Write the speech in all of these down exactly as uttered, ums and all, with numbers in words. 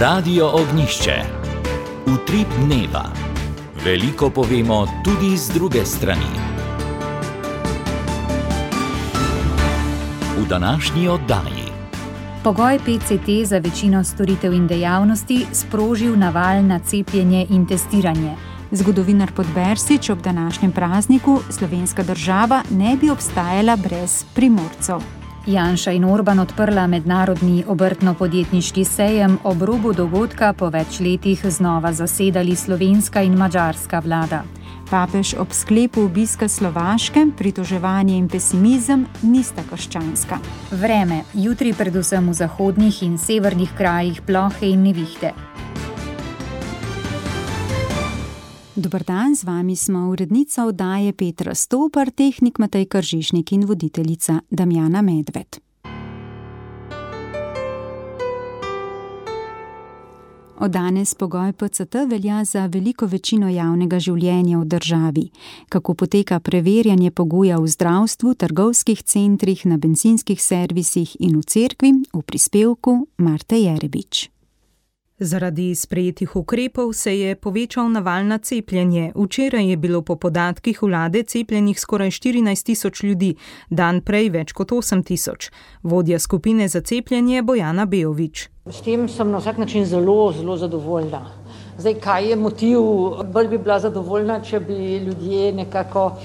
Radio Ognjišče. Utrip dneva. Veliko povemo tudi z druge strani. V današnji oddaji. Pogoj P C T za večino storitev in dejavnosti sprožil naval na cepljenje in testiranje. Zgodovinar Podbersič ob današnjem prazniku slovenska država ne bi obstajala brez Primorcev. Janša in Orban odprla mednarodni obrtno-podjetniški sejem, ob robu dogodka po več letih znova zasedali slovenska in madžarska vlada. Papež ob sklepu obiska Slovaške, pritoževanje in pesimizem nista krščanska. Vreme, jutri predvsem v zahodnih in severnih krajih plohe in nevihte. Dober dan, z vami smo urednica oddaje Petra Stopar, tehnik Matej Kržišnik in voditeljica Damjana Medved. Od danes pogoj P C T velja za veliko večino javnega življenja v državi. Kako poteka preverjanje pogoja v zdravstvu, trgovskih centrih, na bencinskih servisih in v cerkvi, v prispevku Marte Jerebič. Zaradi sprejetih ukrepov se je povečal naval na cepljenje. Včeraj je bilo po podatkih vlade cepljenih skoraj štirinajst tisoč ljudi, dan prej več kot osem tisoč. Vodja skupine za cepljenje Bojana Bejović. S tem sem na vsak način zelo, zelo zadovoljna. Zdaj, kaj je motiv? Bolj bi bila zadovoljna, če bi ljudje nekako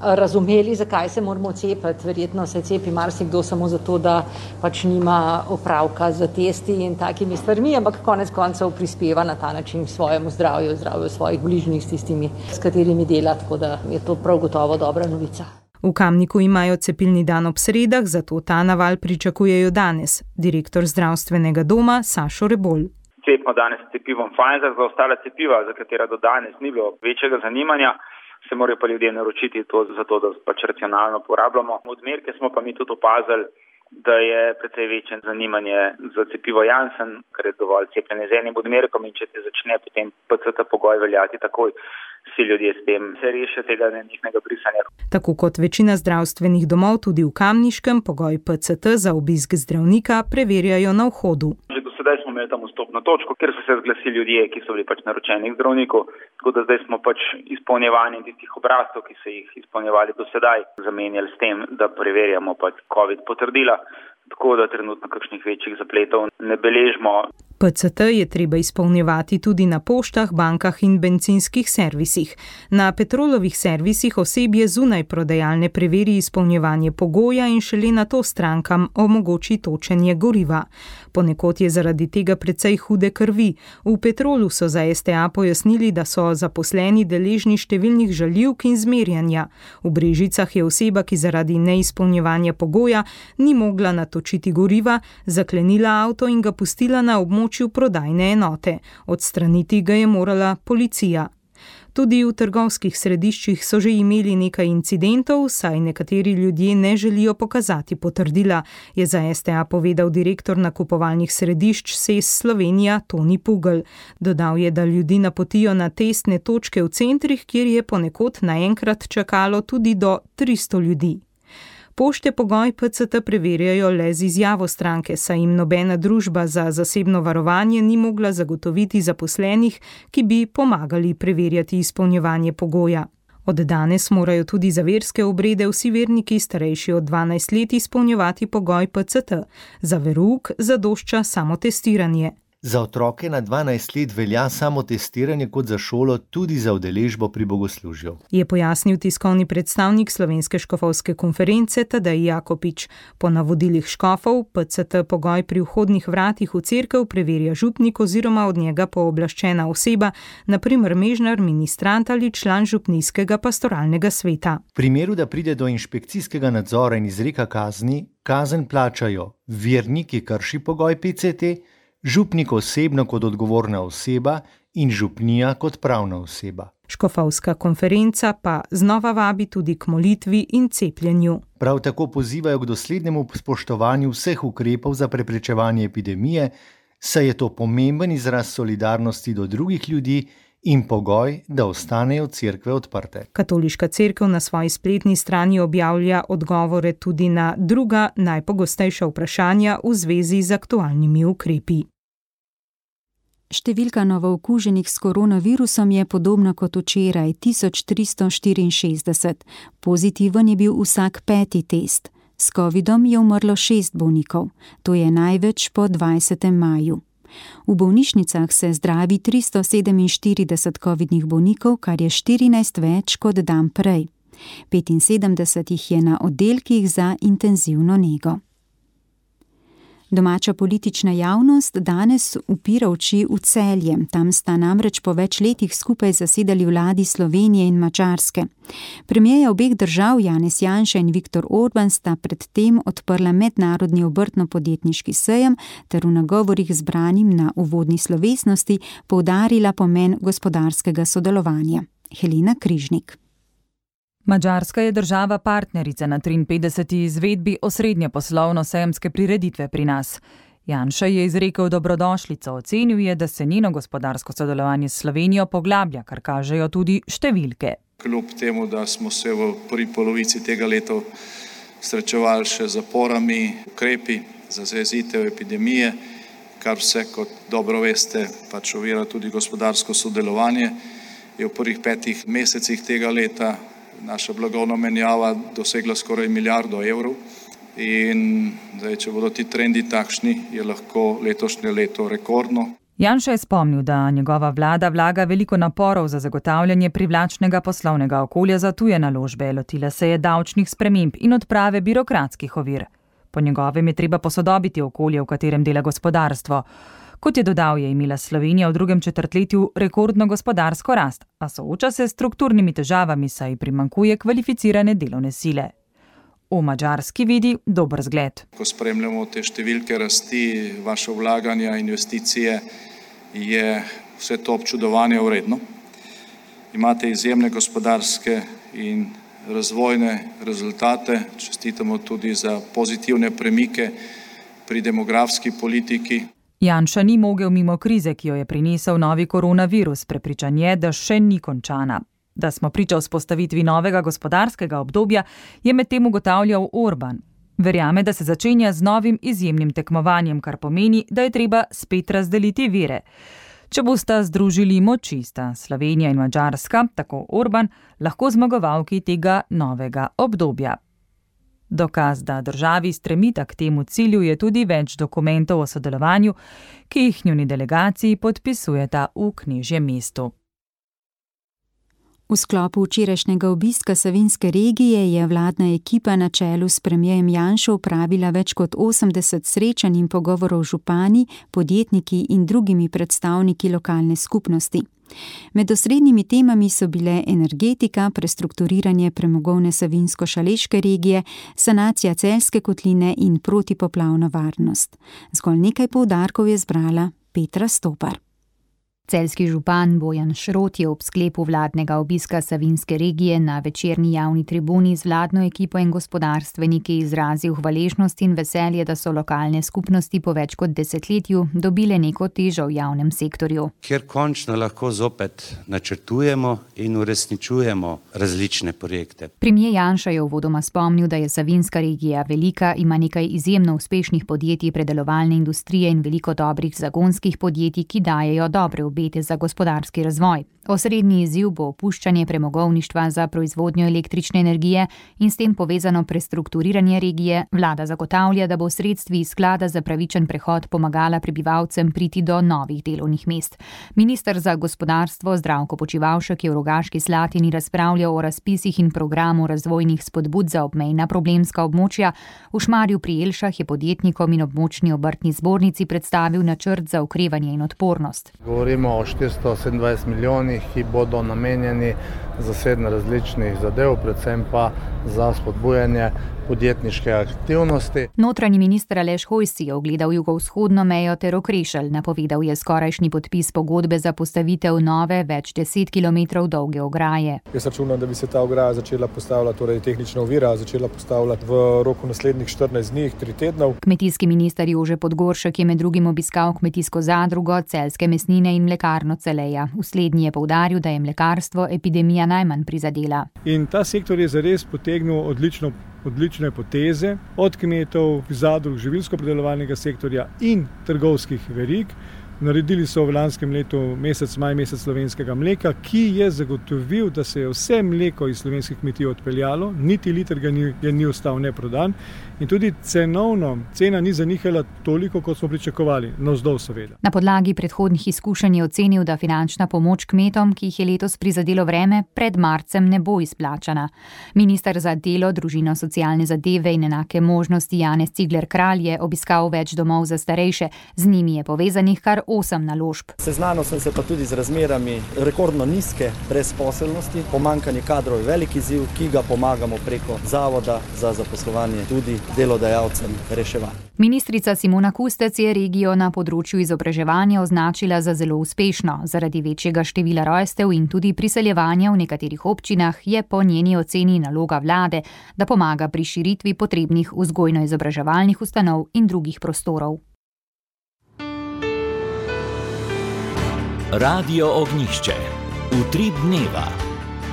razumeli, zakaj se moramo cepiti. Verjetno se cepi marsikdo samo zato, da pač nima opravka z testi in takimi stvarmi, ampak konec koncev prispeva na ta način svojemu zdravju, zdravju svojih bližnjih, s tistimi, s katerimi dela, tako da je to prav gotovo dobra novica. V Kamniku imajo cepilni dan ob sredah, zato ta naval pričakujejo danes. Direktor zdravstvenega doma Sašo Rebolj. Cepimo danes s cepivom Pfizer, za ostala cepiva, za katera do danes ni bilo večjega zanimanja, se morajo pa ljudje naročiti to, zato da pač racionalno porabljamo. Odmerke smo pa mi tudi opazili, da je precej večje zanimanje za cepivo Janssen, ker je dovolj cepljenje z enim odmerkom in če te začne potem P C T pogoj veljati takoj, vsi ljudje s tem se rešijo tega njihnega brisanja. Tako kot večina zdravstvenih domov, tudi v Kamniškem pogoj P C T za obisk zdravnika preverjajo na vhodu. Že do sedaj smo imeli tam vstopno točko, kjer so se zglasili ljudje, ki so bili pač naročeni k zdravniku, tako da zdaj smo pač izpolnjevanje tistih obrazcev, ki so jih izpolnjevali do sedaj, zamenjali s tem, da preverjamo pač COVID potrdila, tako da trenutno kakšnih večjih zapletov ne beležimo. P C T je treba izpolnjevati tudi na poštah, bankah in bencinskih servisih. Na Petrolovih servisih osebje zunaj prodajalne preveri izpolnjevanje pogoja in šele nato strankam omogoči točenje goriva. Ponekod je zaradi tega precej hude krvi. V Petrolu so za S T A pojasnili, da so zaposleni deležni številnih žaljivk in zmerjanja. V Brežicah je oseba, ki zaradi neizpolnjevanja pogoja ni mogla natočiti goriva, zaklenila avto in ga pustila na območju prodajne enote. Odstraniti ga je morala policija. Tudi v trgovskih središčih so že imeli nekaj incidentov, saj nekateri ljudje ne želijo pokazati potrdila, je za S T A povedal direktor nakupovalnih središč S E S Slovenija Toni Pugl. Dodal je, da ljudi napotijo na testne točke v centrih, kjer je ponekod naenkrat čakalo tudi do tristo ljudi. Pošte pogoj P C T preverjajo le z izjavo stranke, saj jim nobena družba za zasebno varovanje ni mogla zagotoviti zaposlenih, ki bi pomagali preverjati izpolnjevanje pogoja. Od danes morajo tudi za verske obrede vsi verniki starejši od dvanajst let izpolnjevati pogoj P C T. Za verouk zadošča samo testiranje. Za otroke na dvanajst let velja samo testiranje kot za šolo, tudi za udeležbo pri bogoslužju. Je pojasnil tiskovni predstavnik Slovenske škofovske konference Tadej Jakopič. Po navodilih škofov P C T pogoj pri vhodnih vratih v cerkev preverja župnik oziroma od njega pooblaščena oseba, na primer mežnar, ministrant ali član župnijskega pastoralnega sveta. V primeru, da pride do inšpekcijskega nadzora in izreka kazni, kazen plačajo vernik, ki krši pogoj P C T, župnik osebno kot odgovorna oseba in župnija kot pravna oseba. Škofovska konferenca pa znova vabi tudi k molitvi in cepljenju. Prav tako pozivajo k doslednemu spoštovanju vseh ukrepov za preprečevanje epidemije, saj je to pomemben izraz solidarnosti do drugih ljudi in pogoj, da ostanejo cerkve odprte. Katoliška cerkev na svoji spletni strani objavlja odgovore tudi na druga najpogostejša vprašanja v zvezi z aktualnimi ukrepi. Številka novookuženih s koronavirusom je podobna kot včeraj, tisoč tristo štiriinšestdeset. Pozitiven je bil vsak peti test. S covidom je umrlo šest bolnikov. To je največ po dvajsetem maju. V bolnišnicah se zdravi tristo sedeminštirideset covidnih bolnikov, kar je štirinajst več kot dan prej. petinsedemdeset jih je na oddelkih za intenzivno nego. Domača politična javnost danes upira oči v Celje. Tam sta namreč po več letih skupaj zasedali vladi Slovenije in Madžarske. Premierja obeh držav Janez Janša in Viktor Orban sta predtem odprla mednarodni obrtno-podjetniški sejem ter v nagovorih zbranim na uvodni slovesnosti poudarila pomen gospodarskega sodelovanja. Helena Križnik. Madžarska je država partnerica na triinpetdeseti izvedbi osrednje poslovno-sejemske prireditve pri nas. Janša je izrekel dobrodošlico, ocenil je, da se njeno gospodarsko sodelovanje s Slovenijo poglablja, kar kažejo tudi številke. Kljub temu, da smo se v prvi polovici tega leta srečevali še z zaporami, ukrepi za zajezitev epidemije, kar vse, kot dobro veste, pač ovira tudi gospodarsko sodelovanje, je v prvih petih mesecih tega leta naša blagovna menjava dosegla skoraj milijardo evrov in zdaj, če bodo ti trendi takšni, je lahko letošnje leto rekordno. Janša je spomnil, da njegova vlada vlaga veliko naporov za zagotavljanje privlačnega poslovnega okolja za tuje naložbe, lotila se je davčnih sprememb in odprave birokratskih ovir. Po njegovem je treba posodobiti okolje, v katerem dela gospodarstvo. Kot je dodal, je imela Slovenija v drugem četrtletju rekordno gospodarsko rast, a sooča se s strukturnimi težavami, saj primanjkuje kvalificirane delovne sile. V Madžarski vidi dober zgled. Ko spremljamo te številke rasti, vaše vlaganja, investicije, je vse to občudovanje vredno. Imate izjemne gospodarske in razvojne rezultate, čestitamo tudi za pozitivne premike pri demografski politiki. Janša ni mogel mimo krize, ki jo je prinesel novi koronavirus, prepričan je, da še ni končana. Da smo priča vzpostavitvi novega gospodarskega obdobja, je medtem ugotavljal Orban. Verjame, da se začenja z novim izjemnim tekmovanjem, kar pomeni, da je treba spet razdeliti vire. Če bosta združili moči, sta Slovenija in Madžarska, tako Orban, lahko zmagovalki tega novega obdobja. Dokaz, da državi stremita k temu cilju, je tudi več dokumentov o sodelovanju, ki jih njuni delegaciji podpisujeta v Knežjem mestu. V sklopu včerajšnjega obiska Savinjske regije je vladna ekipa na čelu s premierjem Janšo opravila več kot osemdeset srečanj in pogovorov z župani, podjetniki in drugimi predstavniki lokalne skupnosti. Med osrednjimi temami so bile energetika, prestrukturiranje premogovne savinjsko-šaleške regije, sanacija Celjske kotline in protipoplavna varnost. Zgolj nekaj poudarkov je zbrala Petra Stopar. Celjski župan Bojan Šrot je ob sklepu vladnega obiska Savinjske regije na večerni javni tribuni z vladno ekipo in gospodarstveniki izrazil hvaležnost in veselje, da so lokalne skupnosti po več kot desetletju dobile neko težo v javnem sektorju. Ker končno lahko zopet načrtujemo in uresničujemo različne projekte. Premier Janša je uvodoma spomnil, da je Savinjska regija velika, ima nekaj izjemno uspešnih podjetij predelovalne industrije in veliko dobrih zagonskih podjetij, ki dajejo dobre obete za gospodarski razvoj. Osrednji izziv bo opuščanje premogovništva za proizvodnjo električne energije in s tem povezano prestrukturiranje regije. Vlada zagotavlja, da bo sredstvi iz sklada za pravičen prehod pomagala prebivalcem priti do novih delovnih mest. Minister za gospodarstvo Zdravko Počivalšek je v Rogaški Slatini razpravljal o razpisih in programu razvojnih spodbud za obmejna problemska območja. V Šmarju pri Jelšah je podjetnikom in območni obrtni zbornici predstavil načrt za okrevanje in odpornost. Govorimo o štiristo sedemindvajset milijonih, ki bodo namenjeni za sedem različnih zadev, predvsem pa za spodbujanje podjetniške aktivnosti. Notranji minister Aleš Hojs si je ogledal jugovzhodno mejo ter Okrešelj. Napovedal je skorajšnji podpis pogodbe za postavitev nove, več deset kilometrov dolge ograje. Jaz računam, da bi se ta ograja začela postavljati, torej tehnična ovira začela postavljati v roku naslednjih štirinajst dni, tri tednov. Kmetijski minister Jože Podgoršek je med drugim obiskal kmetijsko zadrugo, Celjske mesnine in mlekarno Celeja. V slednji je poudaril, da je mlekarstvo epidemija najmanj prizadela. In ta sektor je zares potegnil odlično odlične poteze od kmetov, zadrug, živilsko-predelovalnega sektorja in trgovskih verig, Naredili so v lanskem letu mesec maj, mesec slovenskega mleka, ki je zagotovil, da se je vse mleko iz slovenskih kmetij odpeljalo, niti liter ga ni, ni ostal neprodan in tudi cenovno cena ni zanihala toliko, kot smo pričakovali, navzdol seveda. Na podlagi predhodnih izkušenj je ocenil, da finančna pomoč kmetom, ki jih je letos prizadelo vreme, pred marcem ne bo izplačana. Minister za delo, družino, socialne zadeve in enake možnosti Janez Cigler Kralj je obiskal več domov za starejše, z njimi je povezanih kar osem naložb. Seznanil sem se pa tudi z razmerami rekordno nizke brezposelnosti, pomanjkanje kadrov je velik izziv, ki ga pomagamo preko Zavoda za zaposlovanje tudi delodajalcem reševati. Ministrica Simona Kustec je regijo na področju izobraževanja označila za zelo uspešno. Zaradi večjega števila rojstev in tudi priseljevanja v nekaterih občinah je po njeni oceni naloga vlade, da pomaga pri širitvi potrebnih vzgojno-izobraževalnih ustanov in drugih prostorov. Radio Ognjišče. Utrip dneva.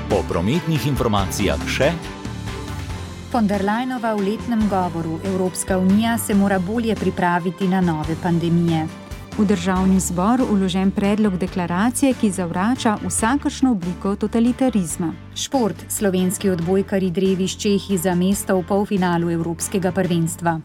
Po prometnih informacijah še. Von der Leyenova v letnem govoru Evropska unija se mora bolje pripraviti na nove pandemije. V državni zbor vložen predlog deklaracije, ki zavrača vsakršno obliko totalitarizma. Šport. Slovenski odbojkarji drevi s Čehi za mesto v polfinalu Evropskega prvenstva.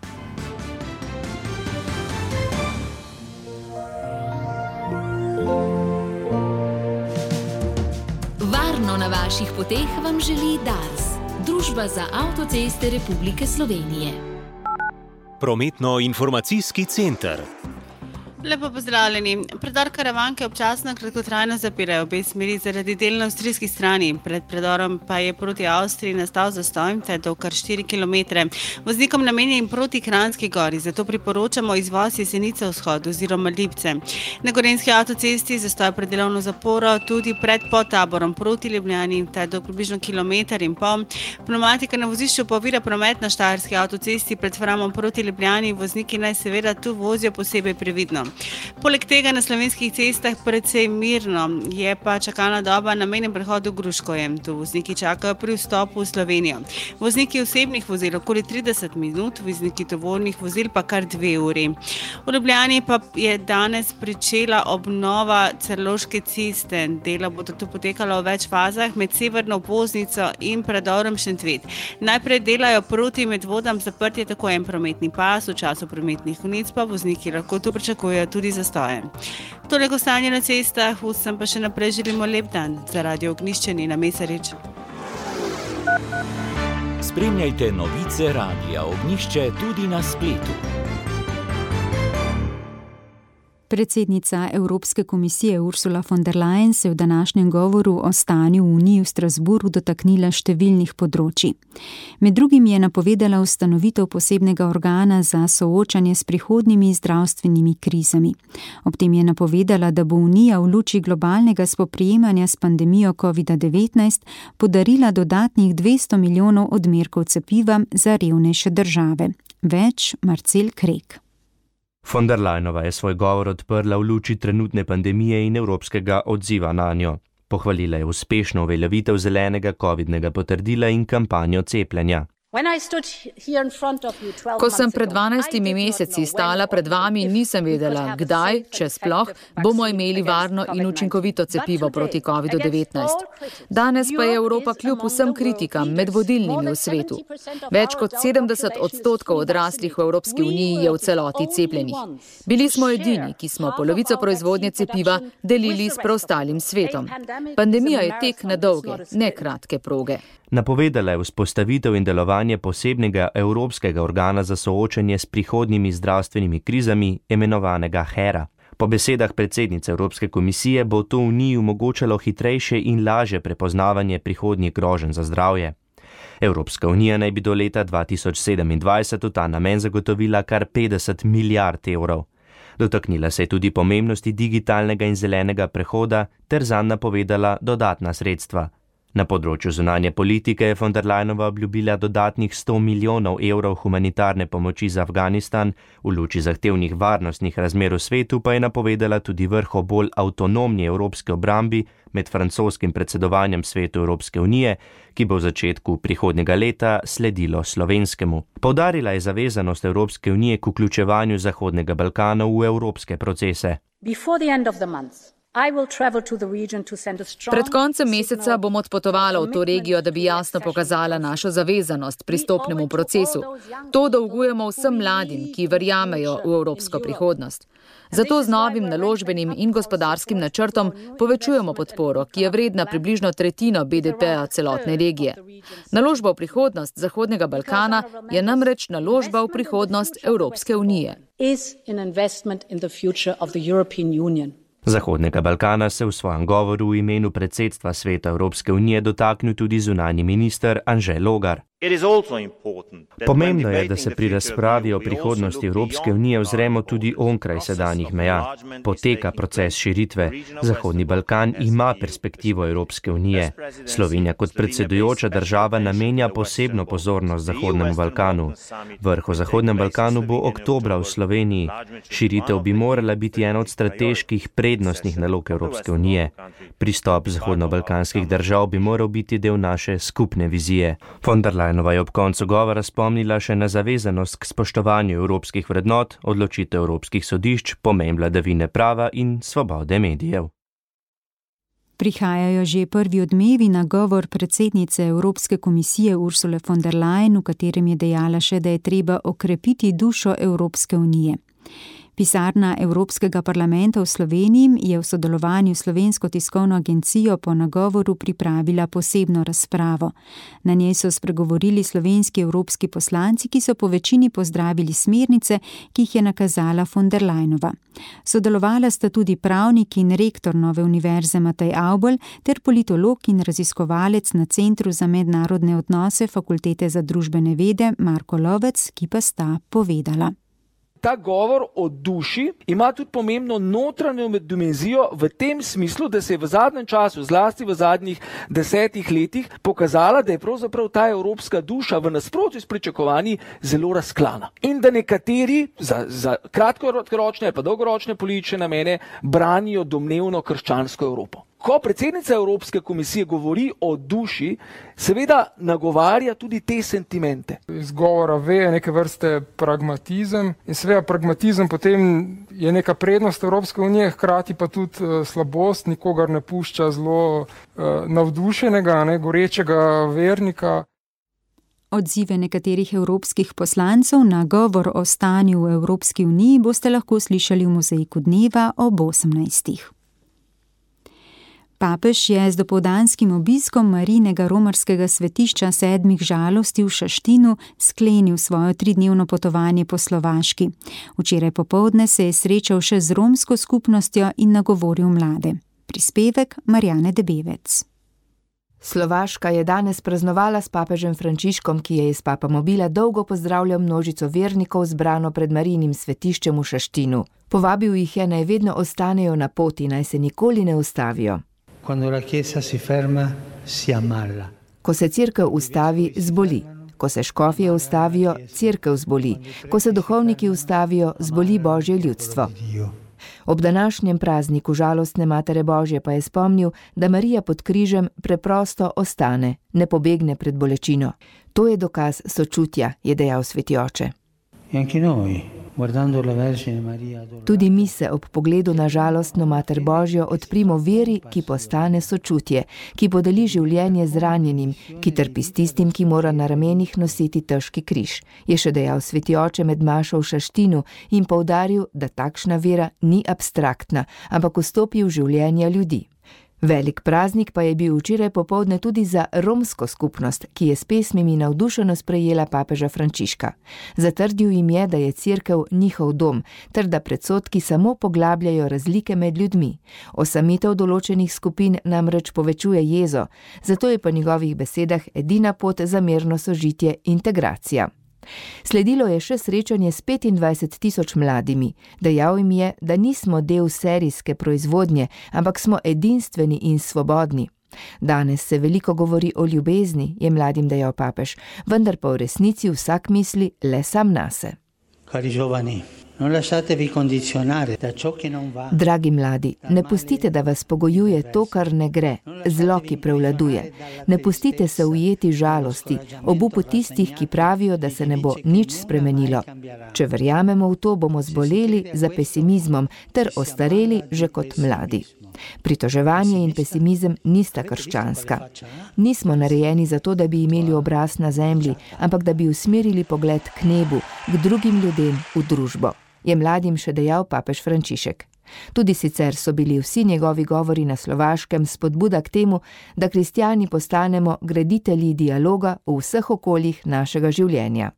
Varno na vaših poteh vam želi Dars, Družba za avtoceste Republike Slovenije. Prometno-informacijski center. Lepo pozdravljeni. Predor Karavanke občasno kratkotrajno zapirajo obe smeri zaradi del na avstrijski strani. Pred predorom pa je proti Avstriji nastal zastoj, te do kar štiri kilometre. Voznikom namenjen proti Kranjski gori, zato priporočamo izvoz Jesenice vzhod oziroma Lipce. Na Gorenjski avtocesti zastoj pred delovno zaporo tudi pred podtaborom proti Ljubljani, te do približno kilometer in pol. Pneumatika na vozišču pa ovira promet na Štajerski avtocesti pred Framom proti Ljubljani. Vozniki naj seveda tu vozijo posebej previdno. Poleg tega na slovenskih cestah precej mirno, je pa čakalna doba na mejnem prehodu Gruškovje. Tu vozniki čakajo pri vstopu v Slovenijo. Vozniki osebnih vozil okoli trideset minut, vozniki tovornih vozil pa kar dve uri. V Ljubljani pa je danes pričela obnova Celovške ceste. Dela bodo tu potekala v več fazah med severno obvoznico in predorom Šentvid. Najprej delajo proti Medvodam zaprtje tako en prometni pas, v času prometnih konic pa vozniki lahko tu pričakujejo tudi zastoje. Toliko stanje na cestah, vsem pa še naprej želimo lep dan. Za Radio Ognjišče Nina Mesarič. Spremljajte novice Radia Ognjišče tudi na spletu. Predsednica Evropske komisije Ursula von der Leyen se v današnjem govoru o stanju v Uniji v Strasbourgu dotaknila številnih področij. Med drugim je napovedala ustanovitev posebnega organa za soočanje s prihodnjimi zdravstvenimi krizami. Ob tem je napovedala, da bo Unija v luči globalnega spoprijemanja s pandemijo kovida devetnajst podarila dodatnih dvesto milijonov odmerkov cepiva za revnejše države. Več Marcel Krek. Von der Leyenova je svoj govor odprla v luči trenutne pandemije in evropskega odziva na njo. Pohvalila je uspešno uveljavitev zelenega covidnega potrdila in kampanjo cepljenja. Ko sem pred dvanajstimi meseci stala pred vami, nisem vedela, kdaj, če sploh, bomo imeli varno in učinkovito cepivo proti kovidu devetnajst. Danes pa je Evropa kljub vsem kritikam med vodilnimi v svetu. Več kot sedemdeset odstotkov odraslih v Evropski uniji je v celoti cepljenih. Bili smo edini, ki smo polovico proizvodnje cepiva delili s preostalim svetom. Pandemija je tek na dolge, ne kratke proge. Napovedala je vzpostavitev in delovanje posebnega evropskega organa za soočanje s prihodnjimi zdravstvenimi krizami, imenovanega HERA. Po besedah predsednice Evropske komisije bo to Uniji omogočalo hitrejše in lažje prepoznavanje prihodnjih groženj za zdravje. Evropska unija naj bi do leta dva tisoč sedemindvajset v ta namen zagotovila kar petdeset milijard evrov. Dotaknila se je tudi pomembnosti digitalnega in zelenega prehoda ter zanj napovedala dodatna sredstva. Na področju zunanje politike je von der Leyenova obljubila dodatnih sto milijonov evrov humanitarne pomoči za Afganistan, v luči zahtevnih varnostnih razmer v svetu pa je napovedala tudi vrh o bolj avtonomni evropski obrambi med francoskim predsedovanjem svetu Evropske unije, ki bo v začetku prihodnjega leta sledilo slovenskemu. Poudarila je zavezanost Evropske unije k vključevanju Zahodnega Balkana v evropske procese. Pred koncem meseca bom odpotovala v to regijo, da bi jasno pokazala našo zavezanost pristopnemu procesu. To dolgujemo vsem mladim, ki verjamejo v evropsko prihodnost. Zato z novim naložbenim in gospodarskim načrtom povečujemo podporo, ki je vredna približno tretjino B D P-ja celotne regije. Naložba v prihodnost Zahodnega Balkana je namreč naložba v prihodnost Evropske unije. Zahodnega Balkana se v svojem govoru v imenu predsedstva Sveta Evropske unije dotaknil tudi zunanji minister Anže Logar. Pomembno je, da se pri razpravi o prihodnosti Evropske unije ozremo tudi onkraj sedanjih meja. Poteka proces širitve. Zahodni Balkan ima perspektivo Evropske unije. Slovenija kot predsedujoča država namenja posebno pozornost Zahodnemu Balkanu. Vrh o Zahodnem Balkanu bo oktobra v Sloveniji. Širitev bi morala biti ena od strateških prednostnih nalog Evropske unije. Pristop zahodnobalkanskih držav bi moral biti del naše skupne vizije. Von der Leyenova je ob koncu govora spomnila še na zavezanost k spoštovanju evropskih vrednot, odločitev evropskih sodišč, pomen vladavine prava in svobode medijev. Prihajajo že prvi odmevi na govor predsednice Evropske komisije Ursule von der Leyen, v katerem je dejala še, da je treba okrepiti dušo Evropske unije. Pisarna Evropskega parlamenta v Sloveniji je v sodelovanju s Slovensko tiskovno agencijo po nagovoru pripravila posebno razpravo. Na njej so spregovorili slovenski evropski poslanci, ki so po večini pozdravili smernice, ki jih je nakazala von der Leyenova. Sodelovala sta tudi pravnik in rektor Nove univerze Matej Avbelj ter politolog in raziskovalec na Centru za mednarodne odnose Fakultete za družbene vede Marko Lovec, ki pa sta povedala. Ta govor o duši ima tudi pomembno notranjo dimenzijo v tem smislu, da se je v zadnjem času, zlasti v zadnjih desetih letih, pokazala, da je pravzaprav ta evropska duša v nasprotju s pričakovanji zelo razklana. In da nekateri za, za kratkoročne pa dolgoročne politične namene branijo domnevno krščansko Evropo. Ko predsednica Evropske komisije govori o duši, seveda nagovarja tudi te sentimente. Iz govora ve je neke vrste pragmatizem in seveda pragmatizem potem je neka prednost Evropske unije, hkrati pa tudi uh, slabost, nikogar ne pušča zelo uh, navdušenega, ne, gorečega vernika. Odzive nekaterih evropskih poslancev na govor o stanju v Evropski uniji boste lahko slišali v Mozaiku dneva ob osemnajstih. Papež je z dopoldanskim obiskom Marijinega romarskega svetišča sedmih žalosti v Šaštinu sklenil svojo tridnevno potovanje po Slovaški. Včeraj popoldne se je srečal še z romsko skupnostjo in nagovoril mlade. Prispevek Marjane Debevec. Slovaška je danes praznovala s papežem Frančiškom, ki je iz papamobila dolgo pozdravljal množico vernikov zbrano pred Marijinim svetiščem v Šaštinu. Povabil jih je, naj vedno ostanejo na poti, naj se nikoli ne ustavijo. Ko se cerkev ustavi, zboli. Ko se škofje ustavijo, cerkev zboli. Ko se duhovniki ustavijo, zboli Božje ljudstvo. Ob današnjem prazniku žalostne Matere Božje pa je spomnil, da Marija pod križem preprosto ostane, ne pobegne pred bolečino. To je dokaz sočutja, je dejal sveti oče. Tudi mi se ob pogledu na žalostno Mater Božjo odprimo veri, ki postane sočutje, ki podeli življenje zranjenim, ki trpi s tistim, ki mora na ramenih nositi težki križ, je še dejal sveti oče med mašo v Šaštinu in poudaril, da takšna vera ni abstraktna, ampak vstopi v življenja ljudi. Velik praznik pa je bil včeraj popoldne tudi za romsko skupnost, ki je s pesmimi navdušeno sprejela papeža Frančiška. Zatrdil jim je, da je cerkev njihov dom, ter da predsodki samo poglabljajo razlike med ljudmi. Osamitev določenih skupin namreč povečuje jezo, zato je po njegovih besedah edina pot za mirno sožitje integracija. Sledilo je še srečanje s petindvajset tisoč mladimi. Dejal jim je, da nismo del serijske proizvodnje, ampak smo edinstveni in svobodni. Danes se veliko govori o ljubezni, je mladim dejal papež, vendar pa v resnici vsak misli le sam nase. Dragi mladi, ne pustite, da vas pogojuje to, kar ne gre, zlo, ki prevladuje. Ne pustite se ujeti žalosti, obupu tistih, ki pravijo, da se ne bo nič spremenilo. Če verjamemo v to, bomo zboleli za pesimizmom ter ostareli že kot mladi. Pritoževanje in pesimizem nista krščanska. Nismo narejeni za to, da bi imeli obraz na zemlji, ampak da bi usmerili pogled k nebu, k drugim ljudem, v družbo, je mladim še dejal papež Frančišek. Tudi sicer so bili vsi njegovi govori na Slovaškem spodbuda k temu, da kristjani postanemo graditelji dialoga v vseh okoljih našega življenja.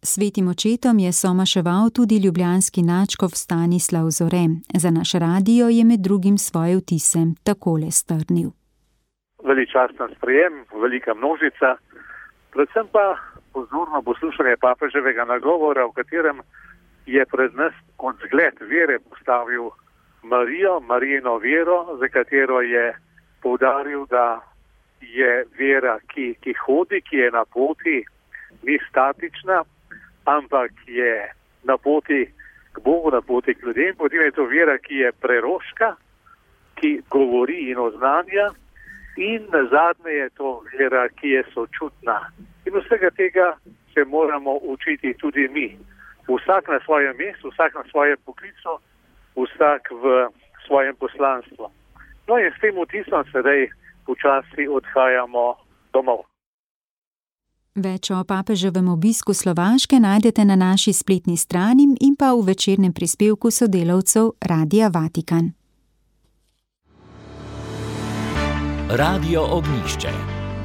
Svetim očetom je somaševal tudi ljubljanski nadškof Stanislav Zore. Za naš radio je med drugim svoje vtise takole strnil. Veličasten sprejem, velika množica, predvsem pa pozorno poslušanje papeževega nagovora, v katerem je pred nas kot zgled vere postavil Marijo, Marijino vero, za katero je poudaril, da je vera, ki, ki hodi, ki je na poti, ni statična, ampak je na poti k Bogu, na poti k ljudem. Potem je to vera, ki je preroška, ki govori in oznanja, in nazadnje je to vera, ki je sočutna. In vsega tega se moramo učiti tudi mi. Vsak na svojem mestu, vsak na svojem poklicu, vsak v svojem poslanstvu. No in s tem vtisom sedaj počasi odhajamo domov. Več o papeževem obisku Slovaške najdete na naši spletni strani in pa v večernem prispevku sodelavcev Radia Vatikan. Radio Ognjišče.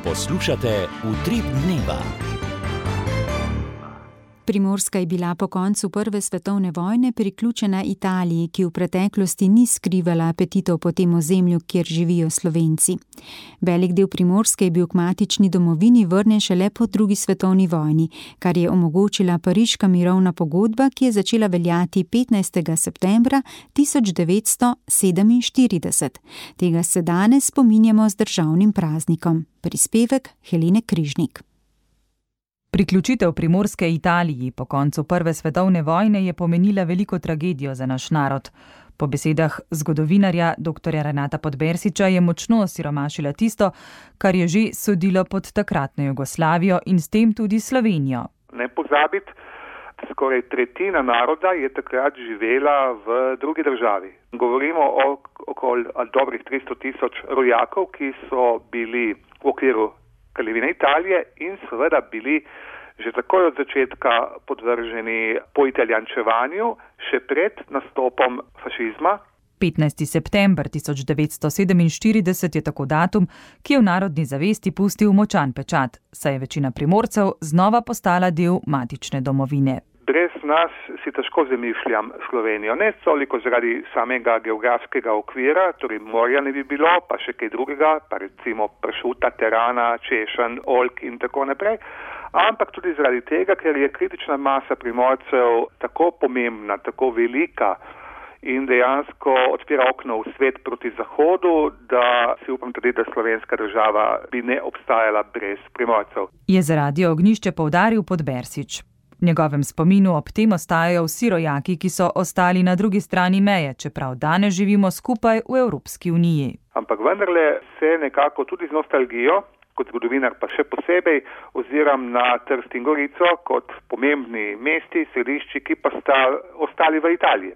Poslušate Utrip dneva. Primorska je bila po koncu prve svetovne vojne priključena Italiji, ki v preteklosti ni skrivala apetitov po tem ozemlju, kjer živijo Slovenci. Velik del Primorske je bil k matični domovini vrnjen šele po drugi svetovni vojni, kar je omogočila pariška mirovna pogodba, ki je začela veljati petnajstega septembra tisoč devetsto sedeminštirideset. Tega se danes spominjamo z državnim praznikom. Prispevek Helene Križnik. Priključitev Primorske Italiji po koncu prve svetovne vojne je pomenila veliko tragedijo za naš narod. Po besedah zgodovinarja doktorja Renata Podbersiča je močno osiromašila tisto, kar je že sodilo pod takratno Jugoslavijo in s tem tudi Slovenijo. Ne pozabiti, skoraj tretjina naroda je takrat živela v drugi državi. Govorimo o okoli dobrih tristo tisoč rojakov, ki so bili v okviru Kraljevine Italije in seveda bili že takoj od začetka podvrženi poitalijančevanju, še pred nastopom fašizma. petnajsti september tisoč devetsto sedeminštirideset je tako datum, ki je v narodni zavesti pustil močan pečat, saj je večina Primorcev znova postala del matične domovine. Brez nas si težko zamišljam Slovenijo, ne toliko zaradi samega geografskega okvira, torej morja ne bi bilo, pa še kaj drugega, pa recimo pršuta, terana, češenj, oljk in tako naprej, ampak tudi zaradi tega, ker je kritična masa Primorcev tako pomembna, tako velika in dejansko odpira okno v svet proti zahodu, da si upam tudi, da slovenska država bi ne obstajala brez Primorcev. Je za Radio Ognjišče poudaril Podbersič. V njegovem spominu ob tem ostajajo vsi rojaki, ki so ostali na drugi strani meje, čeprav danes živimo skupaj v Evropski uniji. Ampak vendarle se nekako tudi z nostalgijo, kot zgodovinar pa še posebej, oziram na Trst in Gorico kot pomembni mesti, središči, ki pa sta ostali v Italiji.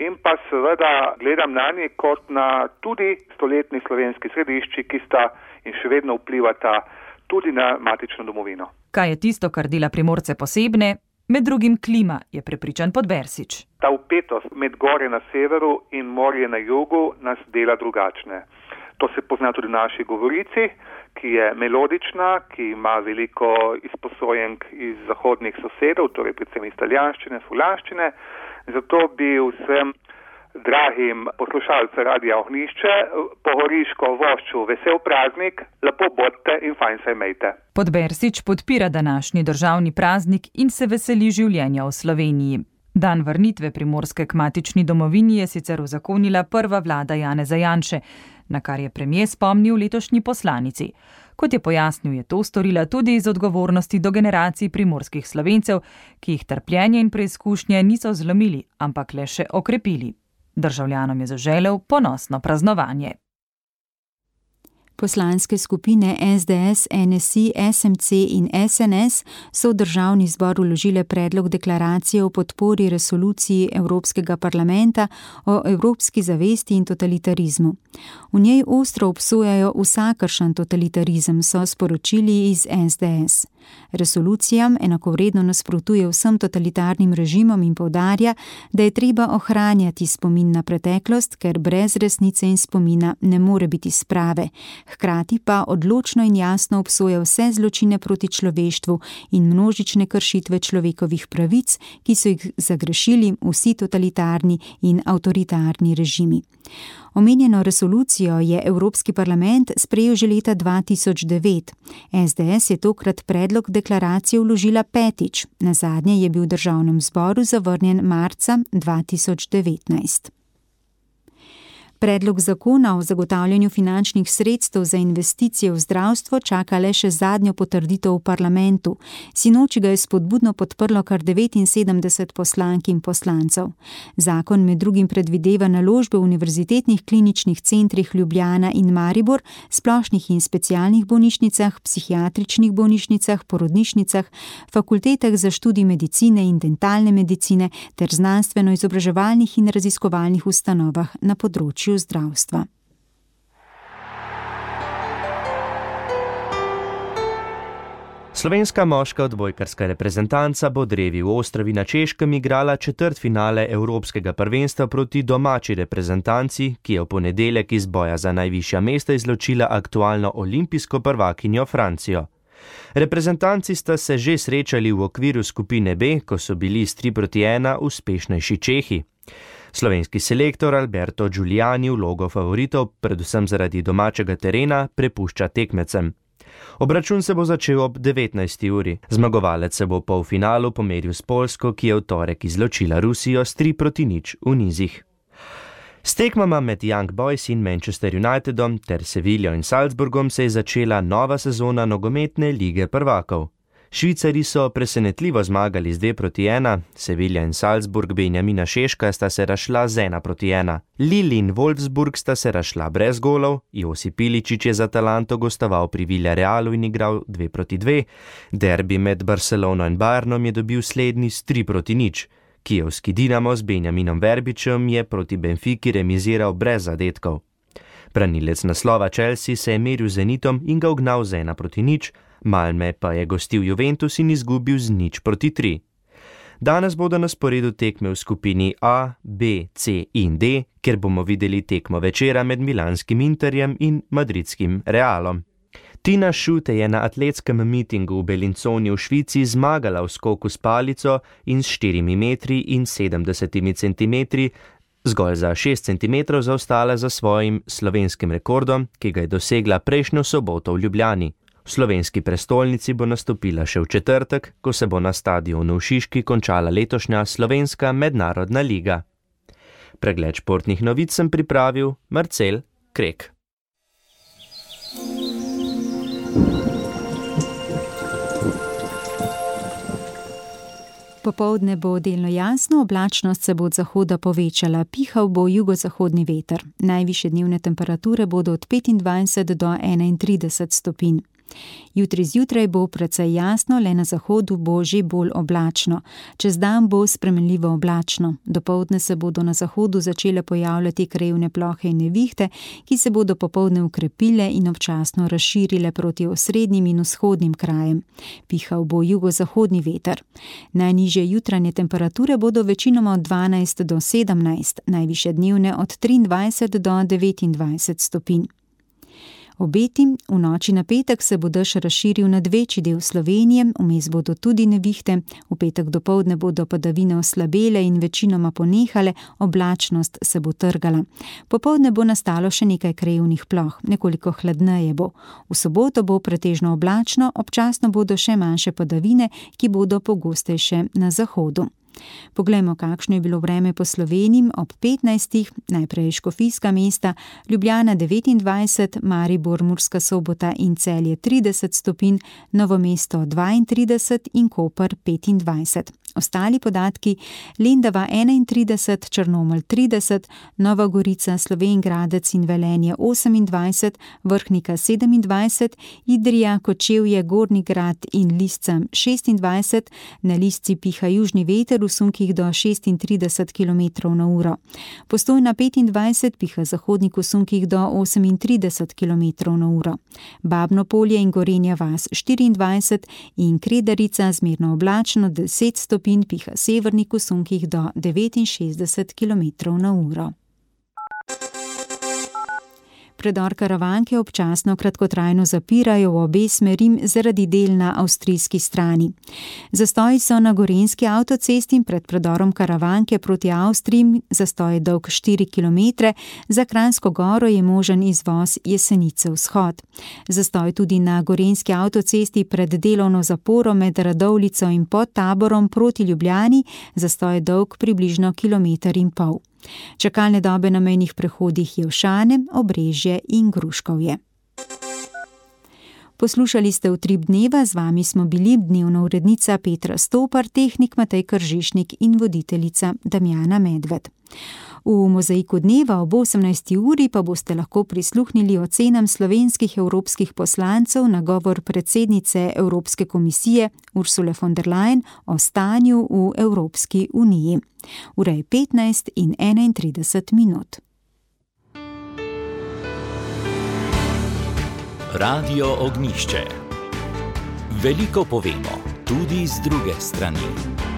In pa seveda gledam na nje kot na tudi stoletni slovenski središči, ki sta in še vedno vplivata tudi na matično domovino. Kaj je tisto, kar dela Primorce posebne? Med drugim klima, je prepričan Podbersič. Ta vpetost med gorje na severu in morje na jugu nas dela drugačne. To se pozna tudi v naši govorici, ki je melodična, ki ima veliko izposojenk iz zahodnih sosedov, torej predvsem iz italijanščine, fulaščine. Zato bi vsem dragim poslušalcem Radia Ognjišče po goriško vošču vesel praznik, lepo bodite in fajn se imejte. Podbersič podpira današnji državni praznik in se veseli življenja v Sloveniji. Dan vrnitve Primorske k matični domovini je sicer uzakonila prva vlada Janeza Janše, na kar je premier spomnil letošnji poslanici. Kot je pojasnil, je to storila tudi iz odgovornosti do generacij primorskih Slovencev, ki jih trpljenje in preizkušnje niso zlomili, ampak le še okrepili. Državljanom je zaželel ponosno praznovanje. Poslanske skupine S D S, N S I, S M C in S N S so v državni zbor vložile predlog deklaracije o podpori resoluciji Evropskega parlamenta o evropski zavesti in totalitarizmu. V njej ostro obsojajo vsakršen totalitarizem, so sporočili iz S D S. Resolucijam enakovredno nasprotuje vsem totalitarnim režimom in poudarja, da je treba ohranjati spomin na preteklost, ker brez resnice in spomina ne more biti sprave. Hkrati pa odločno in jasno obsoja vse zločine proti človeštvu in množične kršitve človekovih pravic, ki so jih zagrešili vsi totalitarni in avtoritarni režimi. Omenjeno resolucijo je Evropski parlament sprejel že leta dva tisoč devet. S D S je tokrat predlog deklaracije vložila petič, nazadnje je bil v državnem zboru zavrnjen marca dva tisoč devetnajst. Predlog zakona o zagotavljanju finančnih sredstev za investicije v zdravstvo čaka le še zadnjo potrditev v parlamentu. Sinoči ga je spodbudno podprlo kar devetinsedemdeset poslank in poslancev. Zakon med drugim predvideva naložbe v univerzitetnih kliničnih centrih Ljubljana in Maribor, splošnih in specialnih bolnišnicah, psihiatričnih bolnišnicah, porodnišnicah, fakultetah za študij medicine in dentalne medicine ter znanstveno-izobraževalnih in raziskovalnih ustanovah na področju zdravstva. Slovenska moška odbojkarska reprezentanca bo drevi v Ostrovi na Češkem igrala četrtfinale Evropskega prvenstva proti domači reprezentanci, ki je v ponedeljek iz boja za najvišja mesta izločila aktualno olimpijsko prvakinjo Francijo. Reprezentanci sta se že srečali v okviru skupine B, ko so bili s tri proti ena uspešnejši Čehi. Slovenski selektor Alberto Giuliani vlogo favoritov, predvsem zaradi domačega terena, prepušča tekmecem. Obračun se bo začel ob devetnajsti uri. Zmagovalec se bo v polfinalu pomeril s Poljsko, ki je v torek izločila Rusijo s tri proti nič v nizih. S tekmama med Young Boys in Manchester Unitedom ter Seviljo in Salzburgom se je začela nova sezona nogometne lige prvakov. Švicari so presenetljivo zmagali z dve proti ena, Sevilja in Salzburg Benjamina Šeška sta se razšla z ena proti ena. Lille in Wolfsburg sta se razšla brez golov, Josip Iličić je za Atalanto gostoval pri Villarealu in igral dve proti dve, derbi med Barcelono in Bayernom je dobil slednji s tri proti nič. Kijevski Dinamo z Benjaminom Verbičem je proti Benfiki remiziral brez zadetkov. Branilec naslova Chelsea se je meril z Zenitom in ga ugnal z ena proti nič, Malme pa je gostil Juventus in izgubil z nič proti tri. Danes bodo na sporedu tekme v skupini A, B, C in D, kjer bomo videli tekmo večera med milanskim Interjem in madridskim Realom. Tina Šute je na atletskem mitingu v Bellinzoni v Švici zmagala v skoku s palico in s štirimi metri in sedemdesetimi centimetri zgolj za šest centimetrov zaostala za svojim slovenskim rekordom, ki ga je dosegla prejšnjo soboto v Ljubljani. V slovenski prestolnici bo nastopila še v četrtek, ko se bo na stadionu v Šiški končala letošnja slovenska mednarodna liga. Pregled športnih novic sem pripravil Marcel Krek. Popoldne bo delno jasno, oblačnost se bo od zahoda povečala, pihal bo jugozahodni veter. Najvišje dnevne temperature bodo od petindvajset do enaintrideset stopinj. Jutri zjutraj bo precej jasno, le na zahodu bo že bolj oblačno. Čez dan bo spremenljivo oblačno. Dopoldne se bodo na zahodu začele pojavljati krajevne plohe in nevihte, ki se bodo popoldne ukrepile in občasno razširile proti osrednjim in vzhodnim krajem. Pihal bo jugozahodni veter. Najnižje jutranje temperature bodo večinoma od dvanajst do sedemnajst, najvišje dnevne od triindvajset do devetindvajset stopinj. Obeti, v noči na petek se bo dež razširil nad večji del Slovenije, vmes bodo tudi nevihte, v petek dopoldne bodo padavine oslabele in večinoma ponehale, oblačnost se bo trgala. Popoldne bo nastalo še nekaj krajevnih ploh, nekoliko hladneje bo. V soboto bo pretežno oblačno, občasno bodo še manjše padavine, ki bodo pogostejše na zahodu. Poglejmo, kakšno je bilo vreme po Sloveniji ob petnajstih, najprej Škofijska mesta, Ljubljana devetindvajset, Maribor, Murska Sobota in Celje trideset stopinj, Novo mesto dvaintrideset in Koper petindvajset. Ostali podatki: Lendava enaintrideset, Črnomelj trideset, Nova Gorica, Slovenj Gradec in Velenje osemindvajset, Vrhnika sedemindvajset, Idrija, Kočevje, Gornji Grad in Lisca šestindvajset, na Lisci piha južni veter v sunkih do šestintrideset kilometrov na uro. Postojna petindvajset, piha zahodnik v sunkih do osemintrideset kilometrov na uro. Babno Polje in Gorenja vas štiriindvajset in Kredarica zmerno oblačno deset stopinj, piha severnik v sunkih do devetinšestdeset kilometrov na uro. Predor Karavanke občasno kratkotrajno zapirajo v obe smeri zaradi del na avstrijski strani. Zastoji so na gorenjski avtocesti pred predorom Karavanke proti Avstriji, zastoj je dolg štiri kilometre, za Kranjsko Goro je možen izvoz Jesenice vzhod. Zastoj tudi na gorenjski avtocesti pred delovno zaporo med Radovljico in Podtaborom proti Ljubljani, zastoj je dolg približno kilometer in pol. Čakalne dobe na mejnih prehodih Jelšane, Obrežje in Gruškovje. Poslušali ste Utrip dneva, z vami smo bili dnevna urednica Petra Stopar, tehnik Matej Kržišnik in voditeljica Damjana Medved. V Mozaiku dneva ob osemnajsti uri pa boste lahko prisluhnili ocenam slovenskih evropskih poslancev na govor predsednice Evropske komisije Ursule von der Leyen o stanju v Evropski uniji. Ura je petnajst in enaintrideset minut. Radio Ognjišče. Veliko povemo, tudi z druge strani.